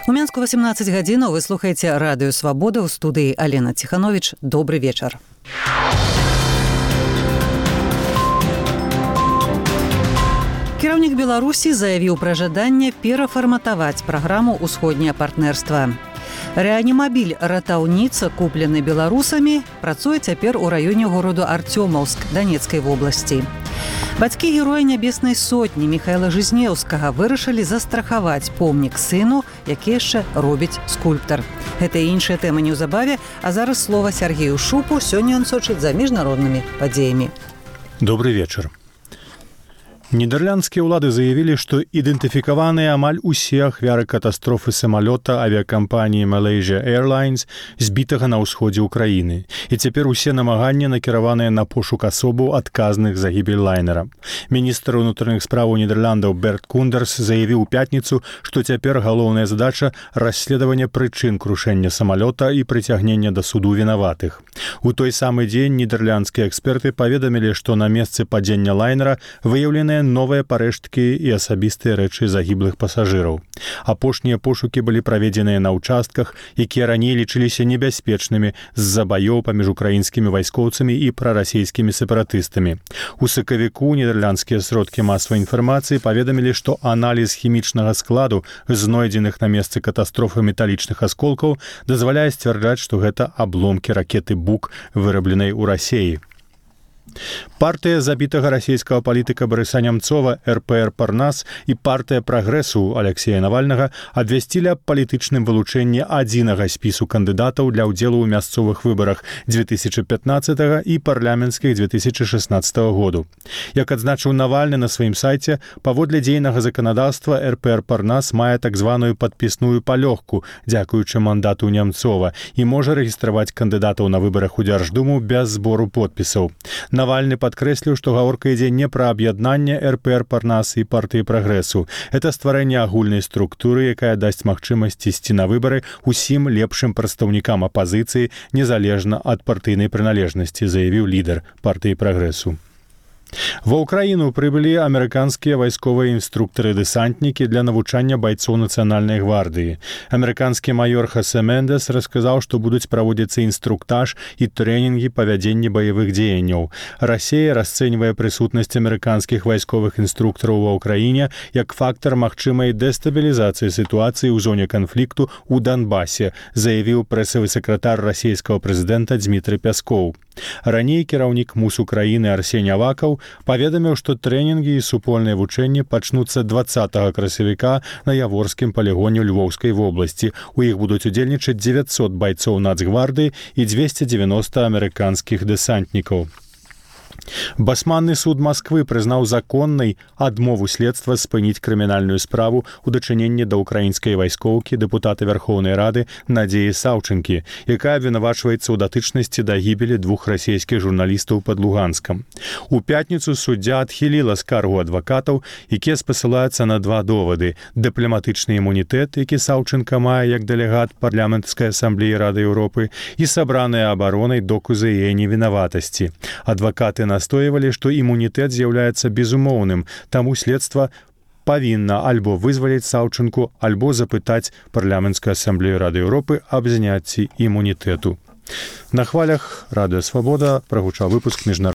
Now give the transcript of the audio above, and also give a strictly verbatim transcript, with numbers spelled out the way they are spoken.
У Менску восемнадцать гадзінаў вы слухаеце радыё Свабода, ў студыі Алена Ціхановіч. Добры вечар. Кіраўнік Беларусі заявіў пра жаданне перафарматаваць праграму «Усходняе партнерства». Рэанімабіль «Ратаўніца», куплены беларусамі, працуе цяпер у раёне гораду Артёмаўск Данецкай вобласці. Бацькі героя Нябеснай сотні Міхаіла Жизнеўскага вырашылі застрахаваць помнік сыну, які яшчэ робіць скульптар. Гэта і іншыя тэмы неўзабаве, а зараз слова Сергею Шупу, сёння ён сочыць за міжнароднымі падзеямі. Добрый вечар. Нідерландскія ўлады заявілі, што ідэнтыфікаваныя амаль усе ахвяры катастрофы самалёта авіякампаніі Malaysia Airlines, збітага на ўсходзе ўкраіны. І цяпер усе намаганні накіраваныя на пошук асобаў адказных за гібель лайнера. Міністр унутраных спраў Нідерландаў Берт Кундерс заявіў у пятніцу, што цяпер галоўная задача расследавання прычын крушэння самалёта і прыцягнення да суду вінаватых. У той самы дзень нідерландскія эксперты паведамілі, што на месцы падзення лайнера выяўленыя новыя парэшткі і асабістыя рэчы загіблых пасажыраў. Апошнія пошукі былі праведзеныя на ўчастках, якія раней лічыліся небяспечнымі з-за баёў паміж украінскімі вайскоўцамі і прарасійскімі сепаратыстамі. У сакавіку нідерландскія сродкі масавай інфармацыі паведамілі, што аналіз хімічнага складу знойдзеных на месцы катастрофы металічных асколкаў дазваляе сцвярджаць, што гэта абломкі ракеты «Бук», вырабленай у Расеі. Партыя забітага расійскага палітыка Барыса Нямцова эр пэ эр «Парнас» і партыя «Прагрэсу» Алексея Навальнага абвясцілі аб палітычным вылучэнні адзінага спісу кандыдатаў для ўдзелу ў мясцовых выбарах две тысячи пятнадцатага і парламенцкіх две тысячи шестнадцатага году. Як адзначыў Навальны на сваім сайце, паводле дзейнага заканадаўства эр пэ эр «Парнас» мае так званую падпісную палёгку, дзякуючы мандату Нямцова, і можа рэгістраваць кандыдатаў на выбарах у Дзярждуму без збору подпісаў. Навальны падкрэсліў, што гаворка ідзе не пра аб'яднанне эр пэ эр «Парнас» і партыі «Прагрэсу». Это стварэнне агульнай структуры, якая дасць магчымасць ісці на выбары ўсім лепшым прадстаўнікам апазіцыі незалежна ад партыйнай прыналежнасці, заявіў лідар партыі «Прагрэсу». Ва ўкраіну прыбылі амерыканскія вайсковыя інструктары-дэсантнікі для навучання байцоў нацыянальнай гвардыі. Амерыканскі маёр Хосе Мендес расказаў, што будуць праводзіцца інструктаж і трэнінгі па вядзенні баявых дзеянняў. Расія расцэньвае прысутнасць амерыканскіх вайсковых інструктараў ва ўкраіне як фактар магчымай дэстабілізацыі сітуацыі ў зоне канфлікту ў Донбасе, заявіў прэсавы сакратар расійскага прэзідэнта Дзмітрый Пяскоў. Раней кіраўнік МУС Украіны Арсень Авакаў паведаміў, што трэнінгі і супольныя вучэнні пачнуцца дваццатага красавіка на Яворскім палігоне Львоўскай вобласці. У іх будуць удзельнічаць дзевяцьсот байцоў нацгвардыі і дзвесце дзевяноста амерыканскіх дэсантнікаў. Басманны суд Масквы прызнаў законнай адмову следства спыніць крымінальную справу ў дачыненні да ўкраінскай вайскоўкі дэпутата Вярхоўнай Рады Надзеі Саўчынкі, якая абвінавачваецца ў датычнасці да гібелі двух расійскіх журналістаў пад Луганскам. У пятніцу суддзя адхіліла скаргу адвакатаў, якія спасылаюцца на два довады: дыпламатычны імунітэт, які Саўчынка мае як дэлегат парламенцкай асамблеі Рады Еўропы, і сабраныя абаронай доказы яе невінаватасці. Адвакаты настойвалі, што імунітэт з'яўляецца безумоўным, таму следства павінна альбо вызваліць Саўчынку, альбо запытаць парламенцкую асамблею Рады Еўропы аб зняцці імунітэту. На хвалях радыё Свабода прагучаў выпуск міжнародных